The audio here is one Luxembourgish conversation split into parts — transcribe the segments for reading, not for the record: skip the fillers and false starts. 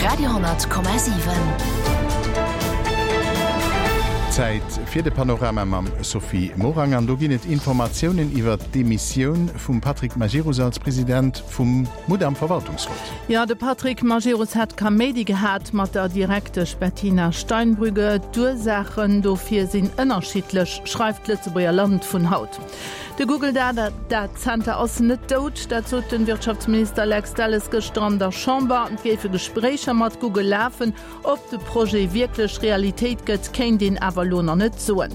Radio,7. Zäit fir de Panorama mam Sophie Morang an do ginn et Informatiounen iwwert d'Demissioun vum Patrick Majerus als President vum Mudam Verwaltungsrot. Jo, de Patrick Majerus hätt Kaméidi gehat mat der Direktesch Bettina Steinbrügge. D'Ursaachen dofir sinn ënnerschiddlech, schreift d'Lëtzebuerger Land vun haut. De Google Data Center ass net dout, dat sot den Wirtschaftsminister Lex Delles gëschter an der Chamber. Et géife Gespréicher mat Google lafen. Ob de Projet wierklech Realitéit gëtt, kéint een awer elo nach net soen.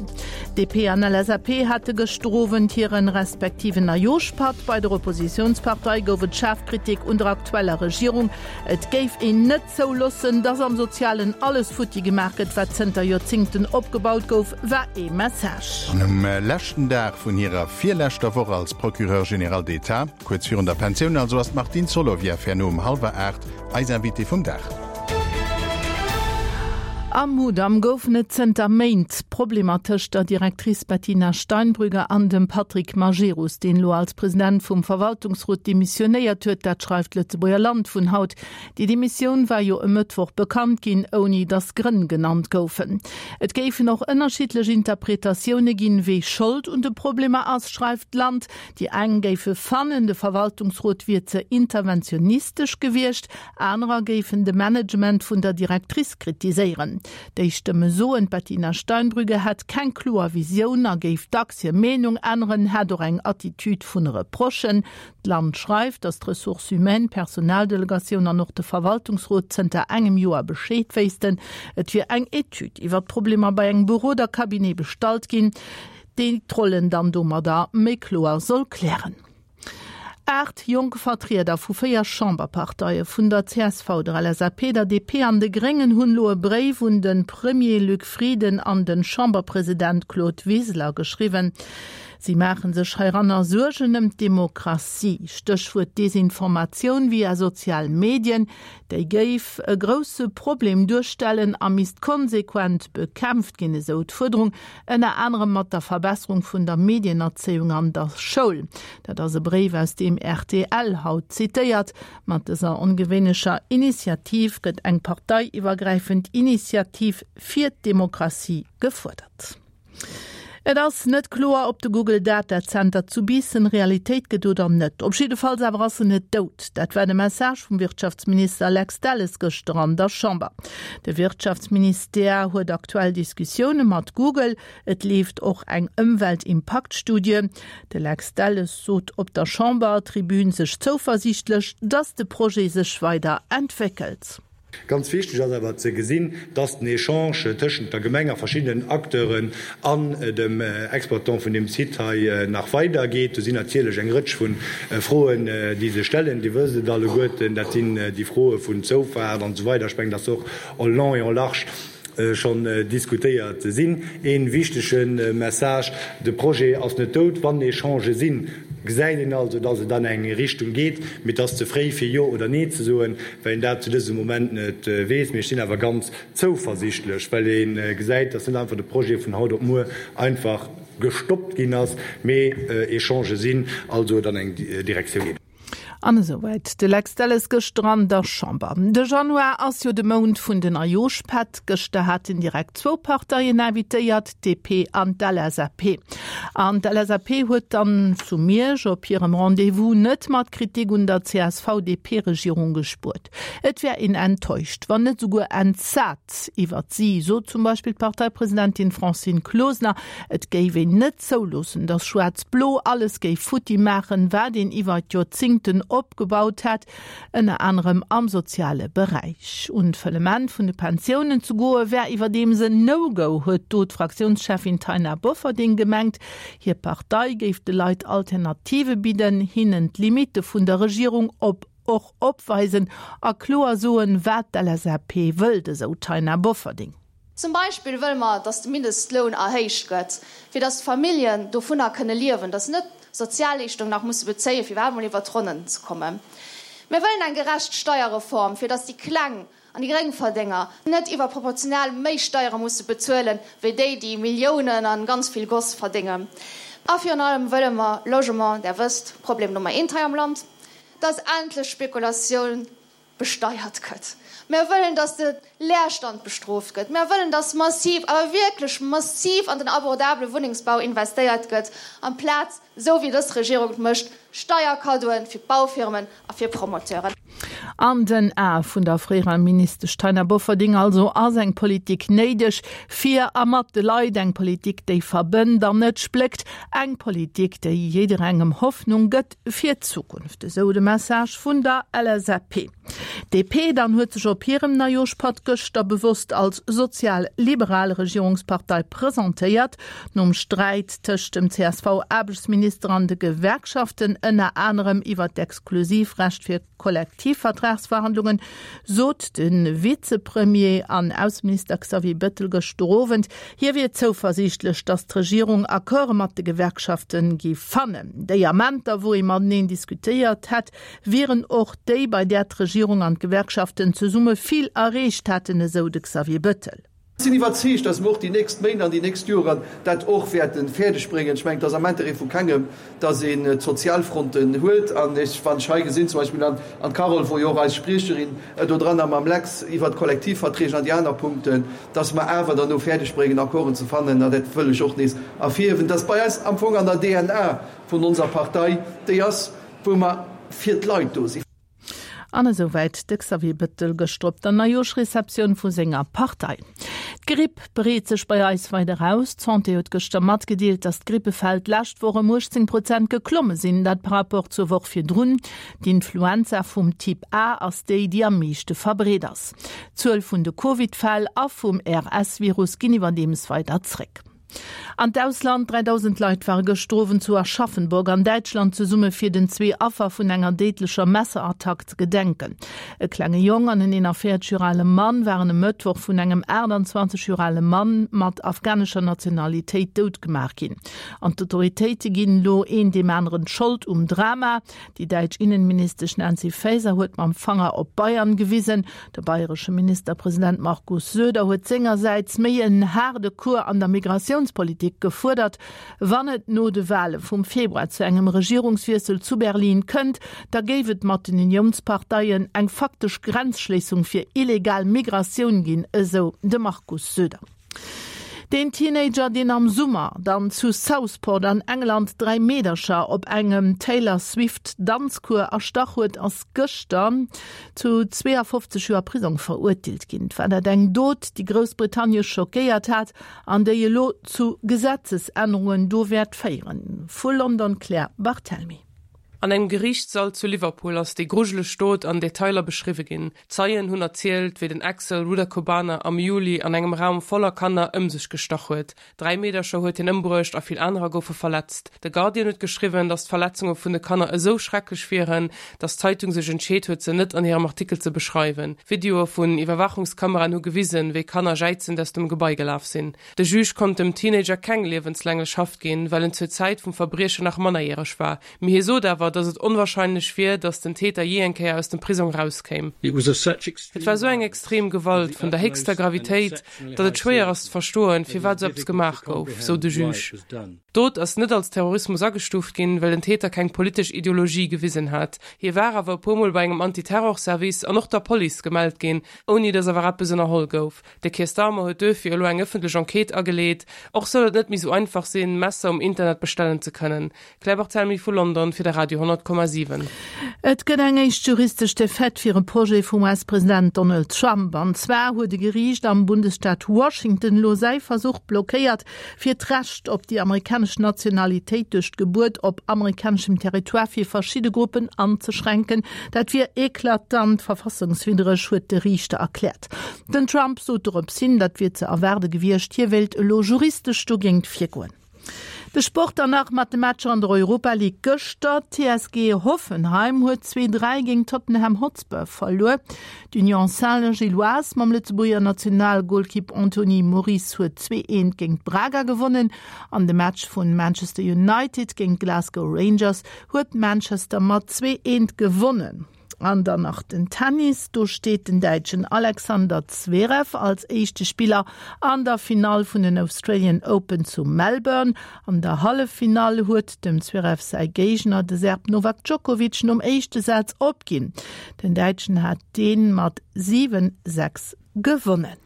DP an LSAP hate gëschter Owend hiren respektiven Neijooschpatt. Bei der Oppositiounspartei gouf et schaarf Kritik un der aktueller Regierung. Et géif een net zouloossen, dass am Sozialen alles futti gemaach gëtt, wat zënter Joerzingten opgebaut gouf, war ee Message. An um leschten Dag vun hirer virleschter Woch als Procureur général d'État, kuerz virun der Pensioun also, ass d'Martine Solovieff herno um hallwer 8 eis Invitée vum Dag. Am Mudam goufen et zënter Méint Problemer tëscht der Directrice Bettina Steinbrügge an dem Patrick Majerus, deen elo als President vum Verwaltungsrot demissionéiert huet. Dat schreift d'Lëtzebuerger Land vun haut. Déi Demissioun war jo e Mëttwoch bekannt ginn, ouni datt Grënn genannt goufen. Et géifen och ënnerschiddlech Interpretatioune ginn, wee Schold un de Problemer ass, schreift d'Land. Déi eng géife fannen, de Verwaltungsrot wier ze interventionistesch gewiescht, anerer géifen de Management vun der Directrice kritiséieren. Déi Stëmme soen, d'Bettina Steinbrügge hätt keng kloer Visioun a géif dacks hir Meenung änneren, hätt och eng Attitude vun Reprochen. D'Land schreift, datt d'Ressources humaines, d'Personaldelegatioun an och de Verwaltungsrot zënter engem Joer Bescheed wéissten. Et wier eng Etüd iwwer d'Problemer bei engem Berodercabinet bestallt ginn, déi d'Rollen dann domadder méi kloer soll klären. 8 jonk Vertrieder vu 4 Chamberparteie, vun der csv, der LSAP, der DP an de Gréngen hunn elo e Bréif un de Premier Luc Frieden an de Chamberpresident Claude Wiseler geschriwwen. Si maache sech heiranner Suergen ëm d'Demokratie, Stéchwuert Desinformatioun via sozial Medien. Déi géif e grousse Problem duerstellen a misst konsequent bekämpft ginn, esou d'Fuerderung, ënner anerem mat der Verbesserung vun der Medienerzéiung an der Schoul. Dat ass e Bréif, aus deem rtl haut zitéiert. Mat dëser ongewéinlecher Initiativ gëtt eng parteiiwwergräifend Initiativ fir d'Demokratie gefuerdert. Et ass net kloer, ob de Google Data Center zu Biissen Realitéit gëtt oder net. Op jiddefalls awer ass en net dout. Dat war de Message vum Wirtschaftsminister Lex Delles gëschter an der Chamber. De Wirtschaftsministère huet aktuell Diskussioune mat Google. Et leeft och eng Ëmweltimpaktstudie. De Lex Delles sot op der Chambertribün sech zouversiichtlech, datt de Projet sech weider entwéckelt. Ganz wichteg ass awer ze gesinn, dass den Echange tëschent der Gemeng a verschiddenen Acteuren an dem Exploitant vun deem Site hei nach weidergeet. Do sinn natierlech eng Rëtsch vu Froen, déi sech stellen. Dir wësst et alleguerten, dat sinn déi Froe vun Zoufaart an esou weider. Ech mengen, dass se och en long et en large schonn diskutéiert sinn. Ee wichtege Message, De Projet ass net dout. Wann Echangë sinn, gesäit een also, dass et an eng Richtung geet. Mee et ass ze fréi, fir Jo oder Nee ze soen, well een dat zu dësem Moment net weess. Mee ech sinn awer ganz zouversichtlech, well ee gesäit, dass net einfach de Projet vun haut op muer einfach gestoppt ginn ass, mee Echangë sinn, also et an eng Direktioun geet. An esouwäit de Lex Delles gëschter an der Chamber. De Januar ass jo de Mount vun den Ajoschpätt. Gëschter haten direkt zwou Parteien invitéiert, d'DP an d'LSAP. An d'LSAP huet dann zu Miersch op hirem Rendez-vous net mat Kritik un der CSV-DP-Regierung gespuert. Et wär een enttäuscht, wann net esouguer entsat iwwert si, sot zum Beispill d'Parteipresidentin Francine Closener. Et géif een net zouloossen, datt Schwaarz-Blo alles géif futti maachen, wat een iwwer d'Joerzingten opgebaut hätt, ënner anerem am soziale Beräich. Un d'Fëllement vun de Pensiounen ze goe wär iwwerdeems en No-Go, huet do d'Fraktiounscheffin Taina Bofferding gemengt. Hir Partei géif de Leit Alternative bidden, hinnen d'Limitte vun der Regierung op och opweisen a kloer soen, wat d'LSAP wëllt, esou d'Taina Bofferding. Zum Beispill wëlle mer, datt de Mindestloun erhéicht gëtt, fir datt d'Familljen dovunner kënne liewen, datt se net Sozialleeschtung nach musse bezéien, fir iwwerhaapt mol iwwer d'Ronnen ze kommen. Mir wëllen eng gerecht Steierreform, fir datt déi Kleng an déi Gréngverdénger net iwwerproportional méi Steiere musse bezuelen, wéi déi, déi Milliounen a ganz vill Goss verdéngen. A virun allem wëlle mer Logement, Der wësst, Problem Nummer eent hei am Land, datt endlech Spekulatioun. besteiert gëtt. Mär wëllen, dass de Leerstand bestrooft gëtt. Mär wëllen, dass massiv, awer wierklech massiv an den abordabele Wunnengsbau investéiert gëtt, amplaz, esou wéi dës Regierung et mécht, Steierkaddoen fir d'Baufirmen a fir Promoteuren. An den Ae vun der fréierer Ministesch Taina Bofferding also ass eng Politik néideg fir a mat de Leit, eng Politik, déi verbënnt an net spléckt, eng Politik, déi jidderengem Hoffnung gëtt fir d'Zukunft, esou de Message vun der LSAP. D'DP dann huet sech op hirem Neijooschpatt gëschter bewosst als sozial-liberal Regierungspartei presentéiert. Nom Sträit tëscht dem CSV-Aarbechtsminister an de Gewerkschaften, ënner anerem iwwer d'Exklusivrecht fir Kollektivvertragsverhandlungen, sot de Vizepremier an Ausseminister Xavier Bettel gëschter Owend, hie wier zouversiichtlech, datt d'Regierung Accorde mat de Gewerkschafte géif fannen. Déi Amenter, wou ee mateneen diskutéiert hätt, wieren och déi, bei där d'Regierung an d'Gewerkschaften zesumme vill erreecht hätten, esou de Xavier Bettel. Ech sinn iwwerzeegt, dass mer och déi nächst Méint an déi nächst Joren dat och wäerte fäerdeg bréngen. Ech mengen, et ass am Intérêt vu kengem, dass een d'Sozialfronten huet. An ech, wann ech hei gesinn, zum Beispill an d'Carole wor jo och eis Spriecherin do dran a mam Lex iwwert d'Kollektivverträge an déi aner Punkten, dass mer awer derno fäerdeg bréngen, Accorden ze fannen. An dat wëll ech och nees ervirhiewen, dass bei eis am Fong an der DNA vun onser Partei déi ass, wou mer fir d'Leit do sinn. An esouwäit de Xavier Bettel gëschter op der Neijooschreceptioun vu senger Partei. D'Gripp breet sech bei eis weider aus. D'Santé huet gëschter matgedeelt, datt d'Grippefäll d'lescht Woch ëm 18 Prozent geklomme sinn, dat par Rapport zur Woch virdrun. D'Influenza vum Typ A ass déi, déi am meeschte verbreet ass. D'Zuel vun de Covid-Fäll a vum RS-Virus ginn iwwerdeems weider zréck. An d'Ausland, 3.000 Leit ware gëschter Owend zu Aschaffenburg an Däitschland zesumme fir den zwee Affer vun enger déidlecher Messerattack ze gedenken. E klenge Jong an en 41 Joer ale Mann waren e Mëttwoch vun engem 28 Joer ale Mann mat afghanescher Nationalitéit dout gemaach ginn. An d'Autoritéite ginn elo een deem aneren d'Schold um Drama. Déi däitsch Innenministesch Nancy Faeser huet mam Fanger op Bayern gewisen. De bayresche Ministerpresident Markus Söder huet sengersäits méi en haarde Cours an der Migratiounspolitik gefuerdert. Wann et no de Wale vum Februar zu engem Regierungswiessel zu Berlin kënnt, da géif et mat den Uniounsparteien eng faktesch Grenzschléissung fir illegal Migratioun ginn, esou de Markus Söder. Deen Teenager, deen am Summer dann zu Southport an England 3 Meedercher op engem Taylor Swift Danzcours erstach huet, ass gëschter zu 52 Joer Prisong verurteelt ginn. Et war dat eng Dot, déi Groussbritannien schockéiert hat an déi elo zu Gesetzesännerungen do wäert féieren. Vu London d'Claire Barthelmy. An engem Geriichtssall zu Liverpool ass déi grujeleg Dot an Detailer beschriwwe ginn. Zeien hunn erzielt, wéi den Axel Rudakubana am Juli an engem Raum voller Kanner ëm sech gestach huet. Dräi Meedercher huet hien ëmbruecht a vill anerer goufe verletzt. De Guardian huet geschriwwen, datt d'Verletzunge vun de Kanner esou schrecklech wieren, datt d'Zeitung sech entscheet huet, se net an hirem Artikel ze beschreiwen. Videoe vun Iwwerwaachungskameraen hu gewisen, wéi Kanner jäizend aus dem Gebai gelaf sinn. De Juge konnt dem Teenager keng liewenslänglech Haft ginn, well en zur Zäit vum Verbriechen nach mannerjäreg war. Mee hie sot awer, datt et onwarscheinlech wier, datt den Täter jee eng Kéier aus dem Prisong erauskéim. Et war esou eng extrem Gewalt vun der héchster Gravitéit, datt et schwéier ass ze verstoen, firwat esou eppes gemaach gouf, sou de Juge. D'Dot ass net als Terrorismus agestuuft ginn, well den Täter keng politesch Ideologie gewisen hat. Hie war awer e puer Mol bei engem Anti-Terror-Service an och der Police gemellt ginn, ouni datt awer eppes ënnerholl gouf. De Keir Starmer huet duerfir elo eng ëffentlech Enquête ageleet. Och soll et net méi sou einfach sinn, Messer um Internet bestellen ze kënnen. Claire Barthelmy vu London fir de Radio 10,7. Et gëtt eng éischt juristesch Defaite fir e Projet vum US-President Donald Trump. An zwar huet e Geriicht am Bundesstaat Washington elo säi Versuch blockéiert, fir d'Recht op déi amerikanesch Nationalitéit duerch d'Gebuert op amerikaneschem Territoire fir verschidde Gruppen anzeschränken. Dat wier eklatant verfassungswiddreg, huet de Riichter erkläert. Den Trump sot dorops hin, dat wier ze erwaarde gewiescht, hie wéilt elo juristesch dogéint virgoen. De Sport dann nach mat de Matcher an der Europa League gëschter. D'TSG Hoffenheim huet 2, 3 géint Tottenham Hotspur verluer. D'Union Saint-Gilloise mam Lëtzebuerger Nationalgolkipp Anthony Moris huet 2, 1 géint Braga gewonnen. An de Match vun Manchester United géint Glasgow Rangers huet Manchester mat 2, 1 gewonnen. An dann nach den Tennis, Do steet den Däitschen Alexander Zverev als éischte Spiller an der Finall vun den Australian Open zu Melbourne. An der Halleffinall huet dem Zverev säi Géigner, de Serb Novak Djokovic, nom éischte Saz opginn. Den Däitschen hat dee mat 7, 6 gewonnen.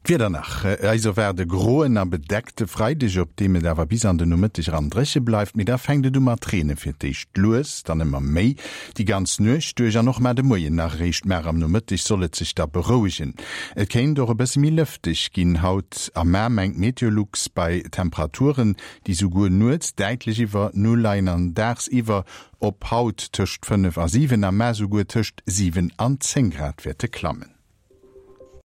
D'Wieder nach, Eis erwaart e groen a bedeckte Freideg, op deem et awer bis an de Nomëtteg eran dréche bleift, mee da fänkt et u mat reene, fir d'éischt lues, dann ëmmer méi déi ganz Nuecht duerch an och mar de Moien nach. Eréischt mar am Nomëtteg soll et sech da berouegen. Et kéint och e bësse méi lëfteg ginn haut a mar, mengt Meteolux, bei Temperaturen, déi souguer nuets däitlech iwwer Null leien an dagsiwwer op haut tëscht 5 a 7 a mar souguer tëscht 7 an 10 Grad wäerte klammen.